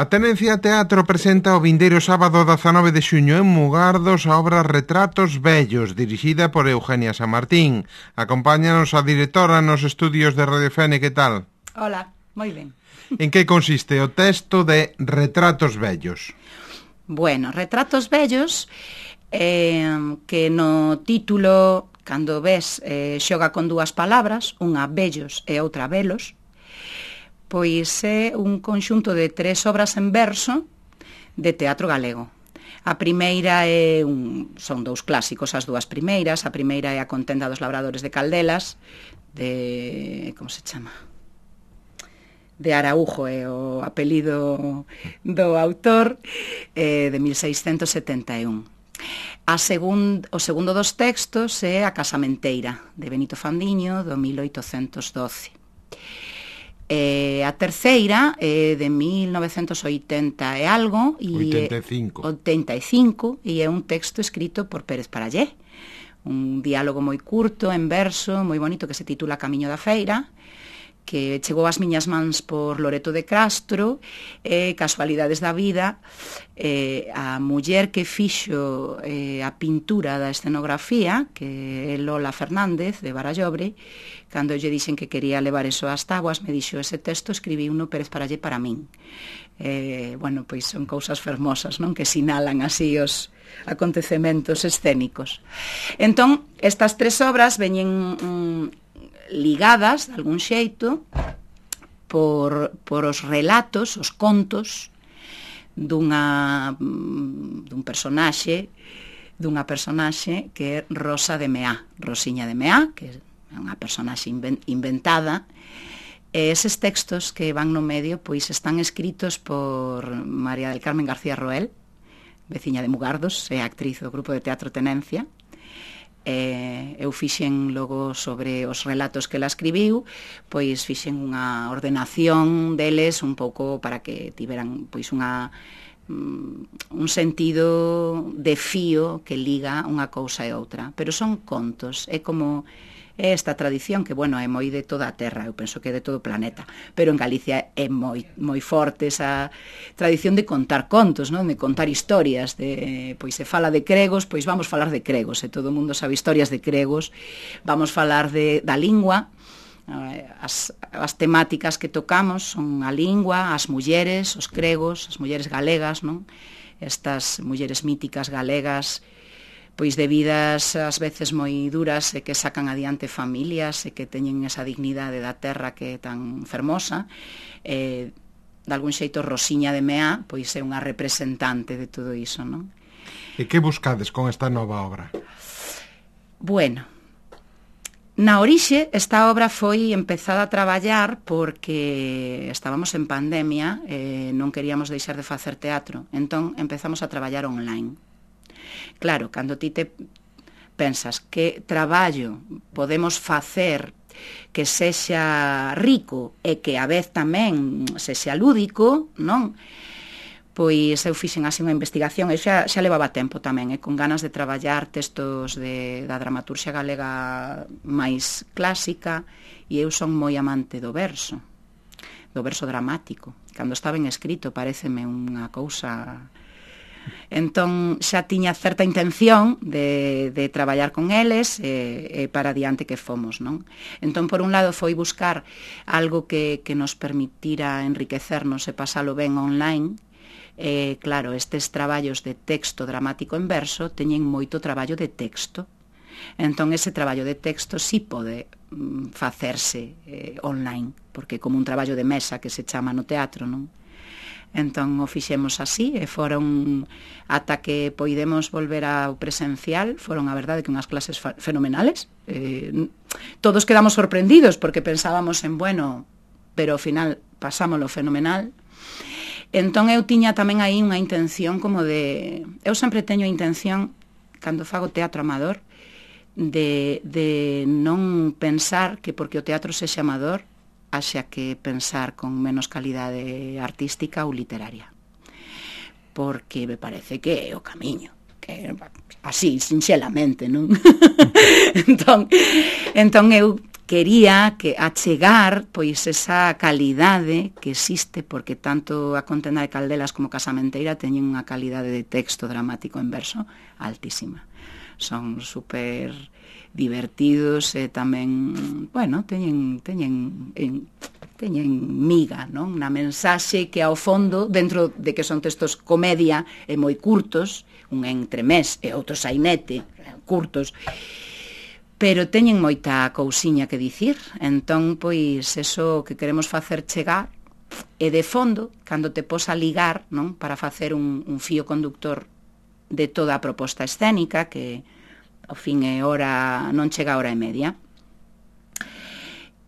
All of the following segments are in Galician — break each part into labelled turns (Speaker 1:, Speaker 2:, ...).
Speaker 1: A Tenencia Teatro presenta o vindeiro sábado 19 de xuño en Mugardos a obra Retratos Vellos, dirixida por Eugenia San Martín. Acompáñanos a directora nos estudios de Radio Fene, que tal?
Speaker 2: Hola, moi ben.
Speaker 1: En que consiste o texto de Retratos Vellos?
Speaker 2: Bueno, Retratos Vellos, que no título, cando ves, xoga con dúas palabras, unha vellos e outra velos, pois é un conxunto de 3 obras en verso de teatro galego. A primeira son 2 clásicos, as 2 primeiras. A primeira é A contenda dos labradores de Caldelas, de... como se chama? De Araujo, é o apelido do autor, de 1671. O segundo dos textos é A casamenteira, de Benito Fandiño, do 1812. A terceira é de 1980 e algo, 85, e é un texto escrito por Pérez Parallé, un diálogo moi curto, en verso, moi bonito, que se titula Camiño da Feira, que chegou ás miñas mans por Loreto de Castro, casualidades da vida, a muller que fixo a pintura da escenografía, que é Lola Fernández, de Barallobre, cando lle dixen que quería levar eso ás táboas, me dixo, ese texto escribí uno Pérez Parallé para min. Bueno, pois son cousas fermosas, non? Que sinalan así os acontecementos escénicos. Entón, estas 3 obras veñen ligadas, de algún xeito, por os relatos, os contos dunha personaxe que é Rosa de Meá, Rosiña de Meá, que é unha personaxe inventada. E eses textos que van no medio pois están escritos por María del Carmen García Roel, veciña de Mugardos, é actriz do grupo de teatro Tenencia. Eu fixen logo sobre os relatos que ela escribiu, pois fixen unha ordenación deles un pouco para que tiveran pois un sentido de fío que liga unha cousa e outra, pero son contos, é como esta tradición que, bueno, é moi de toda a terra, eu penso que é de todo o planeta, pero en Galicia é moi forte esa tradición de contar contos, non? De contar historias, pois se fala de cregos, pois vamos falar de cregos, e todo o mundo sabe historias de cregos, vamos falar da lingua, as temáticas que tocamos son a lingua, as mulleres, os cregos, as mulleres galegas, non? Estas mulleres míticas galegas, pois de vidas ás veces moi duras e que sacan adiante familias e que teñen esa dignidade da terra que é tan fermosa. De algún xeito Rosiña de Meá pois é unha representante de todo iso, non?
Speaker 1: E que buscades con esta nova obra?
Speaker 2: Bueno, na orixe esta obra foi empezada a traballar porque estábamos en pandemia e non queríamos deixar de facer teatro, entón empezamos a traballar online. Claro, cando ti te pensas que traballo podemos facer que sexa rico e que a vez tamén sexa lúdico, non? Pois eu fixen así unha investigación, e xa levaba tempo tamén, con ganas de traballar textos da dramaturxia galega máis clásica, e eu son moi amante do verso dramático. Cando está ben escrito paréceme unha cousa... Entón xa tiña certa intención de traballar con eles e para diante que fomos, non? Entón, por un lado, foi buscar algo que nos permitira enriquecernos e pasalo ben online. Claro, estes traballos de texto dramático en verso teñen moito traballo de texto. Entón, ese traballo de texto sí pode facerse online, porque como un traballo de mesa que se chama no teatro, non? Entón o fixemos así e foron, ata que poidemos volver ao presencial, foron a verdade que unhas clases fenomenales. Todos quedamos sorprendidos porque pensábamos en bueno, pero ao final pasámolo fenomenal. Entón eu tiña tamén aí unha intención como de... Eu sempre teño a intención, cando fago teatro amador, de non pensar que porque o teatro sexa amador haxa que pensar con menos calidade artística ou literaria, porque me parece que é o camiño, que así, sinxelamente, non? entón eu quería que achegar pois esa calidade que existe, porque tanto a Contenda de Caldelas como Casamenteira teñen unha calidade de texto dramático en verso altísima. Son super divertidos e tamén, bueno, teñen miga, non? Na mensaxe que ao fondo, dentro de que son textos comedia e moi curtos, un entremés e outro sainete, curtos, pero teñen moita cousiña que dicir. Entón, pois, eso que queremos facer chegar, e de fondo, cando te pos a ligar, non? Para facer un fío conductor de toda a proposta escénica, que ao fin é hora, non chega a hora e media.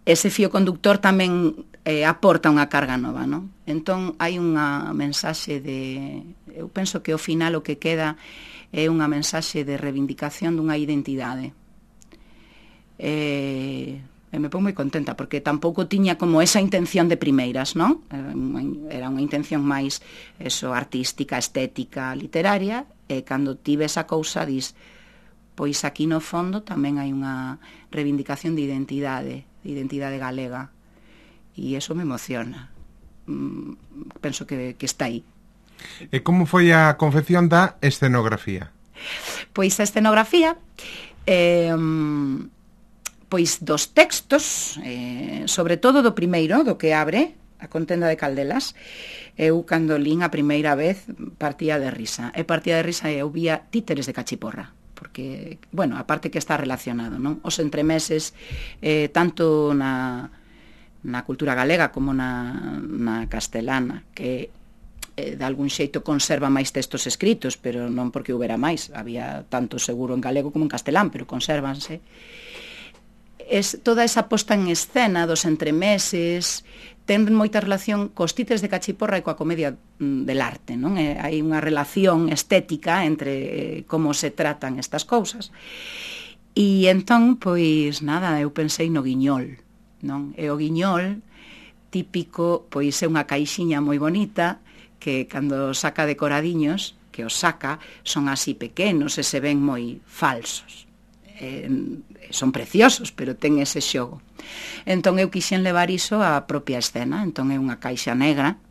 Speaker 2: Ese fío conductor tamén aporta unha carga nova, non? Entón, hai unha mensaxe de... Eu penso que ao final o que queda é unha mensaxe de reivindicación dunha identidade. E me pongo moi contenta, porque tampouco tiña como esa intención de primeiras, non? Era unha intención máis eso, artística, estética, literaria, e cando tive esa cousa dis, pois aquí no fondo tamén hai unha reivindicación de identidade galega, e eso me emociona. Penso que está aí.
Speaker 1: E como foi a confección da escenografía?
Speaker 2: Pois a escenografía... pois dos textos, sobre todo do primeiro, do que abre a Contenda de Caldelas, eu cando lín a primeira vez partía de risa. E eu vía títeres de cachiporra, porque, bueno, aparte que está relacionado, non? Os entremeses, tanto na cultura galega como na castelana, que de algún xeito conserva máis textos escritos, pero non porque houbera máis, había tanto seguro en galego como en castelán, pero consérvanse. Toda esa posta en escena dos entremeses ten moita relación cos títeres de cachiporra e coa comedia del arte, non? Hai unha relación estética entre como se tratan estas cousas. E entón, pois, nada, eu pensei no guiñol, non? E o guiñol típico, pois, é unha caixiña moi bonita que cando saca decoradiños, que os saca, son así pequenos e se ven moi falsos. Son preciosos, pero ten ese xogo. Entón eu quixen levar iso á propia escena. Entón é unha caixa negra,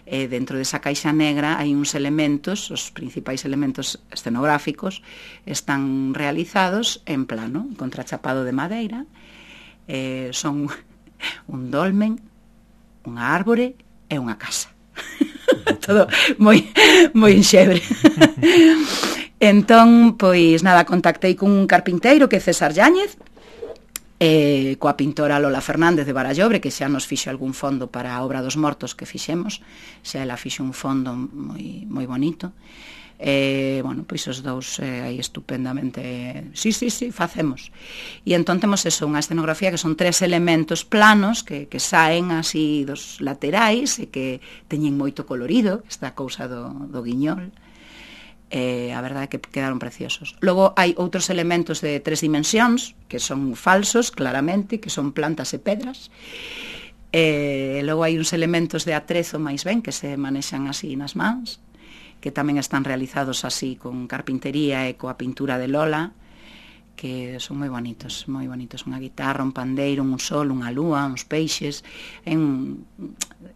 Speaker 2: e dentro desa caixa negra hai uns elementos, os principais elementos escenográficos están realizados en plano, contrachapado de madeira, son un dolmen, unha árbore e unha casa. Todo moi enxebre. Entón, pois, nada, contactei con un carpinteiro que é César Yáñez, coa pintora Lola Fernández de Barallobre, que xa nos fixo algún fondo para a obra dos mortos que fixemos, xa ela fixo un fondo moi bonito. Bueno, pois os dous aí estupendamente, sí, facemos. E entón temos eso, unha escenografía que son 3 elementos planos que saen así dos laterais e que teñen moito colorido, esta cousa do guiñol. A verdade é que quedaron preciosos. Logo hai outros elementos de 3 dimensións que son falsos, claramente, que son plantas e pedras. Logo hai uns elementos de atrezo máis ben que se manexan así nas mans, que tamén están realizados así con carpintería e coa pintura de Lola, que son moi bonitos, moi bonitos. Unha guitarra, un pandeiro, un sol, unha lúa, uns peixes,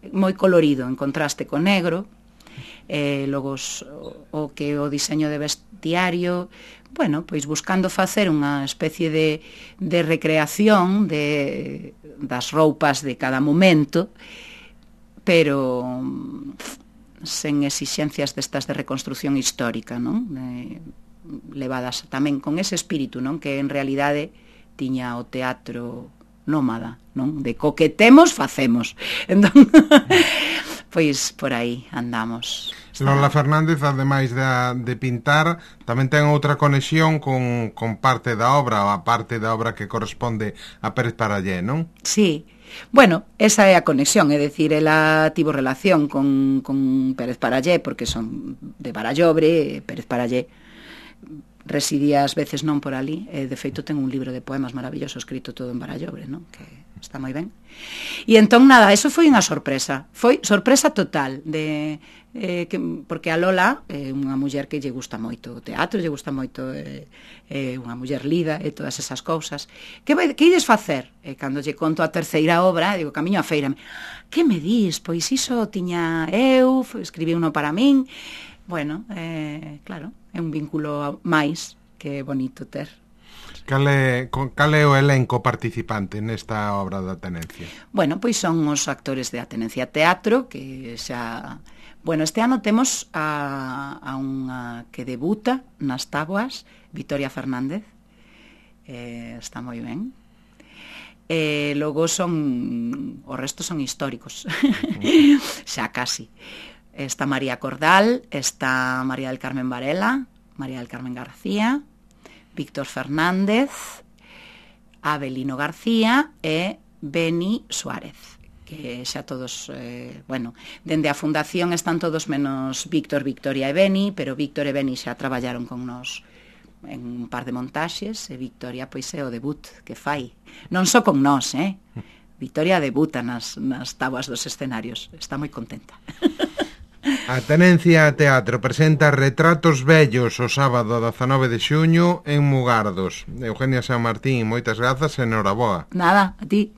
Speaker 2: moi colorido, en contraste co negro. Logo o que o diseño de vestiario, bueno, pois buscando facer unha especie de recreación das roupas de cada momento, pero sen exixencias destas de reconstrucción histórica, non? Levadas tamén con ese espírito, non? Que en realidade tiña o teatro nómada, non? De coquetemos, facemos. Entón, pois por aí andamos.
Speaker 1: Lola Fernández, ademais de pintar, tamén ten outra conexión con parte da obra, a parte da obra que corresponde a Pérez Parallé, non?
Speaker 2: Sí. Bueno, esa é a conexión, é dicir, ela tivo relación con Pérez Parallé, porque son de Barallobre, Pérez Parallé residía ás veces non por ali, de feito ten un libro de poemas maravilloso escrito todo en Barallobre, non? Que está moi ben. E entón, nada, eso foi unha sorpresa, foi sorpresa total, porque a Lola é unha muller que lle gusta moito o teatro, lle gusta moito unha muller lida e todas esas cousas. Que ides facer? E cando lle conto a terceira obra, digo, Camiño á feira, que me dis? Pois iso tiña eu, escribí uno para min. Bueno, claro, é un vínculo máis que é bonito ter.
Speaker 1: Cal é o elenco participante nesta obra da Tenencia?
Speaker 2: Bueno, pois son os actores de Atenencia Teatro, que xa... Bueno, este ano temos a unha que debuta nas táboas, Victoria Fernández, está moi ben. Logo o resto son históricos, xa casi. Está María Cordal, está María del Carmen Varela, María del Carmen García, Víctor Fernández, Abelino García e Beni Suárez, que xa todos, bueno, dende a fundación están todos menos Víctor, Victoria e Beni, pero Víctor e Beni xa traballaron con nos en un par de montaxes, e Victoria pois é o debut que fai. Non só con nós, Victoria debuta nas táboas dos escenarios, está moi contenta.
Speaker 1: A Tenencia Teatro presenta Retratos Vellos o sábado 19 de xuño en Mugardos. Eugenia San Martín, moitas grazas e noraboa.
Speaker 2: Nada, a ti.